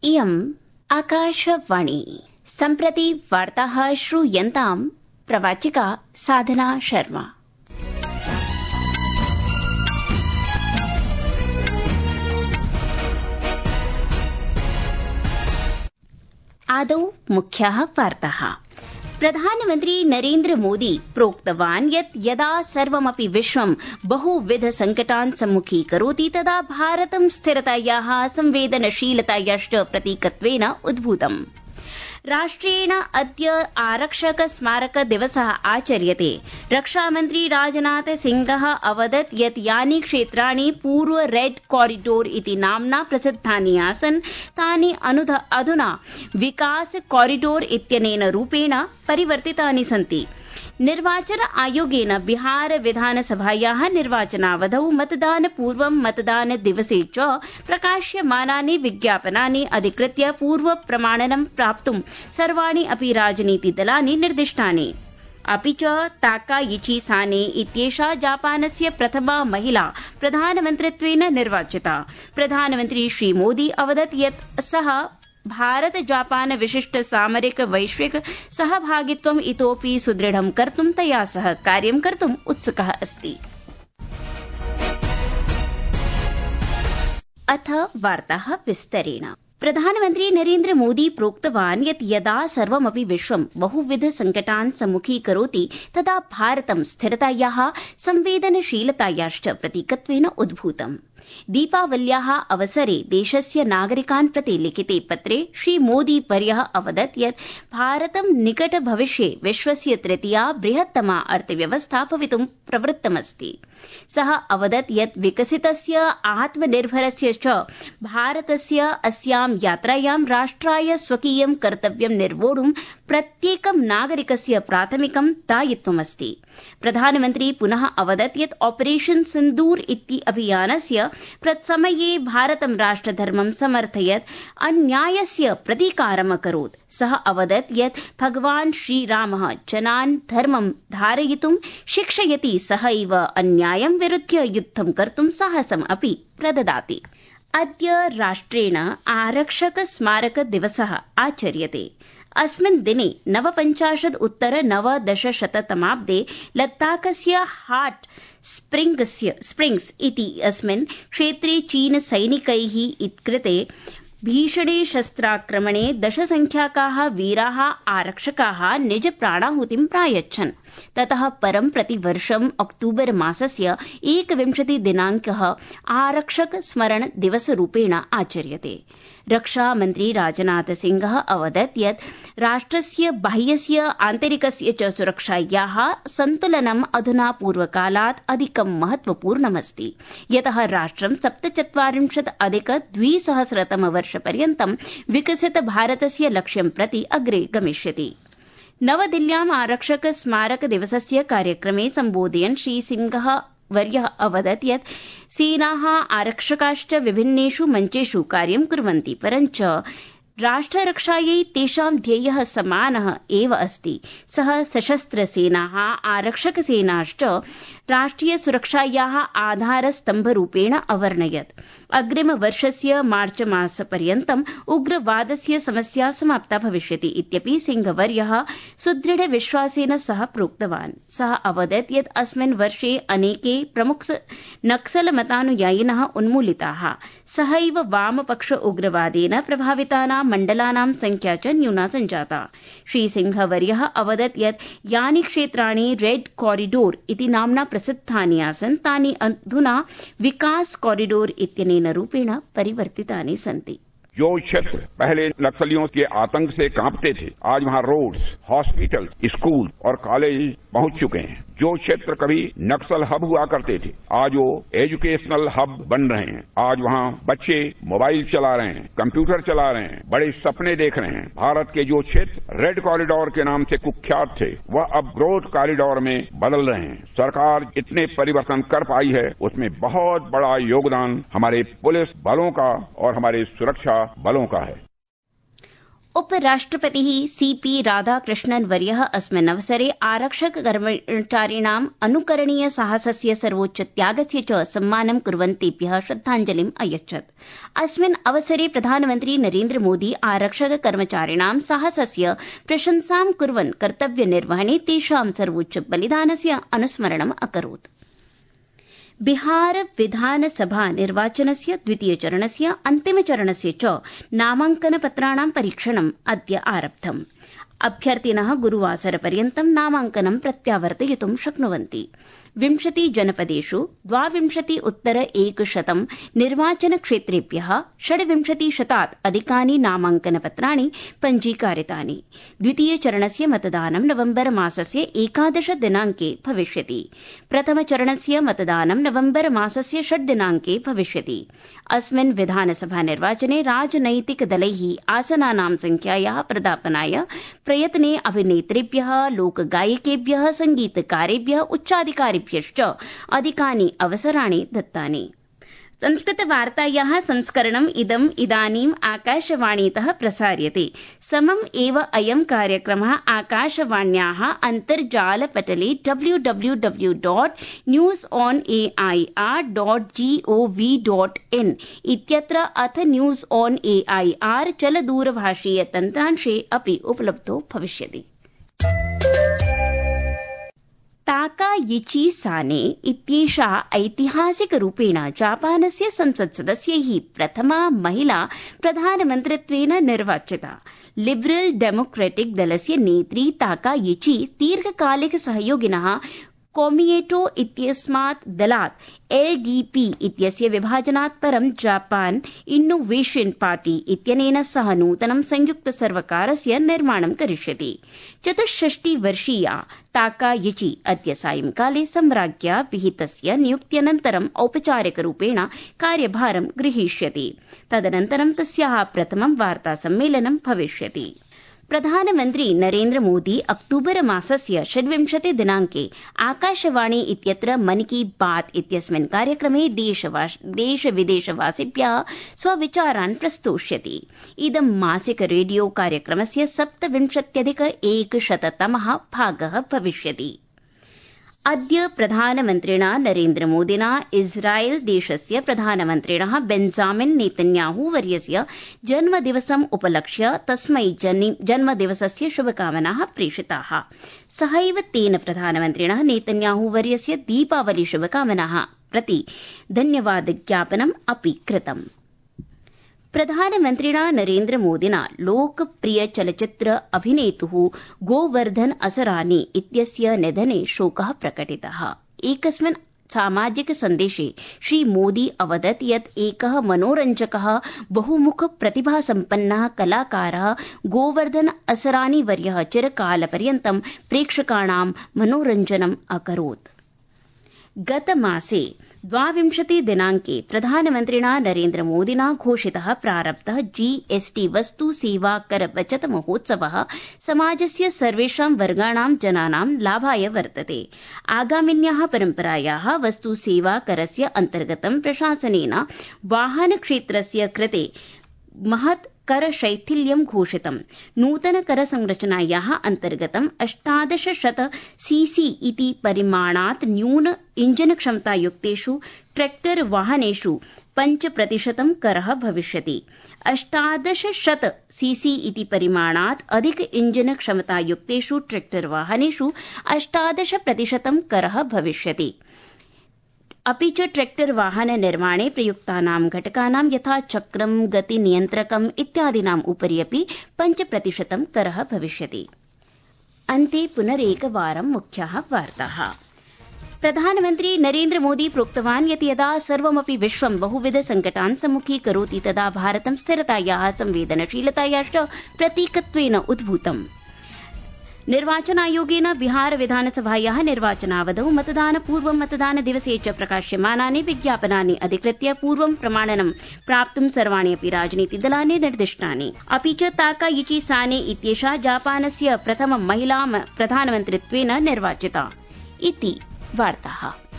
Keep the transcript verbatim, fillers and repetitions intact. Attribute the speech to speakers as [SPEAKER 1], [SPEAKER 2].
[SPEAKER 1] इयम् आकाशवाणी। सम्प्रति वार्ताः श्रूयन्ताम् प्रवाचिका साधना शर्मा। आदौ मुख्याः वार्ताः। प्रधानमन्त्री नरेन्द्र मोदी प्रोक्तवान् यत् यदा सर्वमपि विश्वं बहुविध संकटान् सम्मुखीकरोति तदा भारतं स्थिरतायाः संवेदनशीलतायाश्च प्रतीकत्वेन उद्भूतम्। राष्ट्रेण अद्य आरक्षक स्मारक दिवसः आचर्यते। रक्षामन्त्री राजनाथ सिंहः अवदत् यत् यानि क्षेत्राणि पूर्व रेड कॉरिडोर इति नाम्ना प्रसिद्धानि आसन् तानि अधुना विकास कॉरिडोर इत्यनेन रूपेण परिवर्तितानि सन्ति। निर्वाचन आयोगेन बिहार विधानसभायाः निर्वाचनावधौ मतदानपूर्वं मतदान दिवसे च प्रकाश्यमानानि विज्ञापनानि अधिकृत्य पूर्व प्रमाणनं प्राप्तुं सर्वाणि अपि राजनीतिदलानि निर्दिष्टानि। अपि च ताकायिची साने इत्येषा जापानस्य प्रथमा महिला प्रधानमन्त्रित्वेन निर्वाचिता। प्रधानमन्त्री श्रीमोदी अवदत् यत् सः भारत जापान विशिष्ट सामरिक वैश्विक सहभागित्वम् इतोपि सुदृढं कर्तुं तया सह कार्यं कर्तुम् उत्सुकः अस्ति। अथ वार्ताः विस्तरेण। प्रधानमन्त्री नरेन्द्र मोदी प्रोक्तवान् यत् यदा सर्वमपि विश्वं बहुविध संकटान् सम्मुखीकरोति तदा भारतं स्थिरतायाः संवेदनशीलतायाश्च प्रतीकत्वेन उद्भूतम्। दीपावल्याः अवसरे देशस्य नागरिकान् प्रति लिखिते पत्रे श्रीमोदी वर्यः अवदत् यत् भारतं निकट भविष्ये विश्वस्य तृतीया बृहत्तमा अर्थव्यवस्था भवितुं प्रवृत्तमस्ति। सः अवदत् यत् विकसितस्य आत्मनिर्भरस्य च भारतस्य अस्यां यात्रायां राष्ट्राय स्वकीयं कर्तव्यं निर्वोढुं प्रत्येकं नागरिकस्य प्राथमिकं दायित्वमस्ति। प्रधानमन्त्री पुनः अवदत् यत् ऑपरेशन सिन्दूर इति अभियानस्य प्रत्समये भारतं राष्ट्रधर्मं समर्थयत्, अन्यायस्य प्रतीकारम् अकरोत्। सः अवदत् यत् भगवान् श्रीरामः जनान् धर्मं धारयितुं शिक्षयति, सहैव अन्यायं विरुध्य युद्धं कर्तुं साहसम् अपि प्रददाति। अद्य राष्ट्रेण आरक्षक स्मारक दिवसः आचर्यते। अस्मिन् दिने नवपञ्चाशत् उत्तर नवदशशततमाब्दे लद्दाखस्य हाट् स्प्रिंग्स् इति अस्मिन् क्षेत्रे चीन सैनिकैः कृते भीषणे शस्त्राक्रमणे दशसंख्याकाः वीराः आरक्षकाः निज प्राणाहुतिं प्रायच्छन्। ततः परं प्रतिवर्षम् अक्टूबर मासस्य एकविंशति दिनाङ्कः आरक्षक स्मरण दिवसरूपेण आचर्यते। रक्षामन्त्री राजनाथ सिंहः अवदत् यत् राष्ट्रस्य बाह्यस्य आन्तरिकस्य च सुरक्षायाः सन्तुलनम् अधुना पूर्वकालात् अधिकं महत्वपूर्णमस्ति, यतः राष्ट्रं सप्तचत्वारिंशत् अधिक द्विसहस्रतमवर्षपर्यन्तं विकसित भारतस्य लक्ष्यं प्रति अग्रे गमिष्यति। नवदिल्ल्याम् आरक्षक स्मारक दिवसस्य कार्यक्रमे सम्बोधयन् श्रीसिंहः वर्यः अवदत् यत् सेनाः आरक्षकाश्च विभिन्नेषु मञ्चेषु कार्यं कुर्वन्ति, परञ्च राष्ट्ररक्षायै तेषां ध्येयः समानः एव अस्ति। सः सशस्त्रसेनाः आरक्षकसेनाश्च राष्ट्रिय सुरक्षायाः आधारस्तम्भरूपेण अवर्णयत्। अग्रिमवर्षस्य मार्च मासपर्यन्तम् उग्रवादस्य समस्या समाप्ता भविष्यति इत्यपि सिंहवर्यः सुदृढ विश्वासेन सह प्रोक्तवान्। सः अवदत् यत् अस्मिन् वर्षे अनेके प्रमुख नक्सलमतानुयायिनः उन्मूलिताः, सहैव वामपक्ष उग्रवादेन प्रभावितानां मण्डलानां संख्या च न्यूना सञ्जाता। श्रीसिंहवर्यः अवदत् यत् यानि क्षेत्राणि रेड कॉरिडोर इति नाम्ना प्रसिद्धानि आसन् तानि अधुना विकास कॉरिडोर इत्यनेन रूपेण परिवर्तितानि सन्ति।
[SPEAKER 2] जो क्षेत्र पहले नक्सलियों के आतंक से कांपते थे, आज वहाँ रोड्स, हॉस्पिटल, स्कूल और कॉलेज पहुंच चुके हैं। जो क्षेत्र कभी नक्सल हब हुआ करते थे, आज वो एजुकेशनल हब बन रहे हैं। आज वहाँ बच्चे मोबाइल चला रहे हैं, कंप्यूटर चला रहे हैं, बड़े सपने देख रहे हैं। भारत के जो क्षेत्र रेड कॉरिडोर के नाम से कुख्यात थे, वह अब ग्रोथ कॉरिडोर में बदल रहे हैं। सरकार इतने परिवर्तन कर पाई है, उसमें बहुत बड़ा योगदान हमारे पुलिस बलों का और हमारे सुरक्षा बलों का है।
[SPEAKER 1] उपराष्ट्रपतिः सीपी राधाकृष्णन् वर्यः अस्मिन् अवसरे आरक्षक कर्मचारिणाम् अनुकरणीय साहसस्य सर्वोच्च त्यागस्य च सम्मानं कुर्वन्तेभ्यः श्रद्धाञ्जलिम् अयच्छत्। अस्मिन् अवसरे प्रधानमन्त्री नरेन्द्र मोदी आरक्षक कर्मचारिणां साहसस्य प्रशंसां कुर्वन् कर्तव्यनिर्वहणे तेषां सर्वोच्च बलिदानस्य अनुस्मरणम् अकरोत्। बिहार विधानसभा निर्वाचनस्य द्वितीयचरणस्य अन्तिमचरणस्य च नामाङ्कनपत्राणां परीक्षणम् अद्य आरब्धम्। अभ्यर्थिनः गुरुवासरपर्यन्तं नामाङ्कनं प्रत्यावर्तयितुं शक्नुवन्ति। विंशति जनपदेषु द्वाविंशति उत्तर एकशतं निर्वाचनक्षेत्रेभ्यः षड्विंशतिशतात् अधिकानि नामाङ्कनपत्राणि पञ्जीकारितानि। द्वितीयचरणस्य मतदानं नवम्बर मासस्य एकादश दिनाङ्के भविष्यति। प्रथमचरणस्य मतदानं नवम्बर मासस्य षड् दिनाङ्के भविष्यति। अस्मिन् विधानसभा निर्वाचने राजनैतिकदलैः आसनानां संख्यायाः प्रदापनाय प्रयत्ने अभिनेतृभ्यः, लोकगायकेभ्यः, संगीतकारेभ्यः, उच्चाधिकारिभ्यश्च अधिकानि अवसराणि दत्तानि। संस्कृतवार्तायाः संस्करणम् इदम् इदानीम् आकाशवाणीतः प्रसार्यते। समम् एव अयं कार्यक्रमः आकाशवाण्याः अन्तर्जालपटले W W W dot news on A I R dot G O V dot in इत्यत्र अथ news on A I R चलदूरभाषीय तन्त्रांशे अपि उपलब्धो भविष्यति। ताकायिची साने इत्येषा ऐतिहासिकरूपेण जापानस्य संसत्सदस्यैः प्रथमा महिला प्रधानमन्त्रित्वेन निर्वाचिता। लिबरल् डेमोक्रेटिक् दलस्य नेत्री ताकायिची दीर्घकालिक सहयोगिनः कोमिएटो इत्यस्मात् दलात् एल् डी पी इत्यस्य विभाजनात् परं जापान इन्नोवेशन पार्टी इत्यनेन सह नूतनं संयुक्तसर्वकारस्य निर्माणं करिष्यति। चतुष्षष्टिवर्षीया ताकायिची अद्य सायंकाले सम्राज्ञा विहितस्य नियुक्त्यनन्तरम् औपचारिकरूपेण कार्यभारं गृहीष्यति। तदनन्तरं तस्याः प्रथमं वार्तासम्मेलनं भविष्यति। प्रधानमन्त्री नरेन्द्र मोदी अक्टूबर मासस्य षड्विंशति दिनाङ्के आकाशवाणी इत्यत्र मन की बात इत्यस्मिन् कार्यक्रमे देश विदेशवासिभ्यः स्वविचारान् प्रस्तोष्यति। इदं मासिक रेडियो कार्यक्रमस्य सप्तविंशत्यधिक एकशततमः भागः भविष्यति। अद्य प्रधानमन्त्रिणा नरेन्द्र मोदिना इस्राएल देशस्य प्रधानमन्त्रिणः बेंजामिन नेतन्याहू वर्यस्य जन्मदिवसम् उपलक्ष्य तस्मै जन्मदिवसस्य शुभकामनाः प्रेषिताः। सहैव तेन प्रधानमन्त्रिणः नेतन्याहू वर्यस्य दीपावली शुभकामनाः प्रति धन्यवादज्ञापनम् अपि कृतम्। प्रधानमन्त्रिणा नरेन्द्र मोदिना लोकप्रिय चलच्चित्र अभिनेतुः गोवर्धन असरानी इत्यस्य निधने शोकः प्रकटितः। एकस्मिन् सामाजिक सन्देशे श्रीमोदी अवदत् यत् एकः मनोरञ्जकः बहुमुख प्रतिभासम्पन्नः कलाकारः गोवर्धन असरानी वर्यः चिरकालपर्यन्तं प्रेक्षकाणां मनोरञ्जनम् अकरोत्। गतमासे द्वाविंशति दिनाङ्के प्रधानमन्त्रिणा नरेन्द्र मोदिना घोषितः प्रारब्धः जीएसटी वस्तु सेवा कर बचत महोत्सवः समाजस्य सर्वेषां वर्गाणां जनानां लाभाय वर्तते। आगामिन्याः परम्परायाः वस्तु सेवा करस्य अन्तर्गतं प्रशासनेन वाहनक्षेत्रस्य कृते महत् कर शैथिल्यं घोषितम्। नूतन कर संरचनायाः अन्तर्गतं अष्टादश शत सीसी इति परिमाणात् न्यून इञ्जन क्षमतायुक्तेषु ट्रैक्टर वाहनेषु पञ्च प्रतिशतं करः भविष्यति। अष्टादश शत सीसी इति परिमाणात् अधिक इञ्जन क्षमतायुक्तेषु ट्रैक्टर वाहनेषु अष्टादश प्रतिशतं करः भविष्यति। अपि च ट्रैक्टर वाहन निर्माणे प्रयुक्तानां घटकानां यथा चक्रं, गतिनियन्त्रकम् इत्यादीनाम् उपरि अपि पञ्च प्रतिशतं करः भविष्यति। अन्ते पुनरेकवारं मुख्याः वार्ताः। प्रधानमन्त्री नरेन्द्र मोदी प्रोक्तवान् यत् यदा सर्वमपि विश्वं बहुविध संकटान् सम्मुखीकरोति तदा भारतं स्थिरतायाः, संवेदनशीलतायाश्च प्रतीकत्वेन उद्भूतम्। निर्वाचनायोगेन बिहार विधानसभायाः निर्वाचनावधौ मतदानपूर्वं मतदानदिवसे च प्रकाश्यमानानि विज्ञापनानि अधिकृत्य पूर्वं प्रमाणनं प्राप्तुं सर्वाणि अपि राजनीतिदलानि निर्दिष्टानि। अपि च ताकायिची साने इत्येषा जापानस्य प्रथम महिला प्रधानमन्त्रित्वेन निर्वाचिता। इति वार्ताः।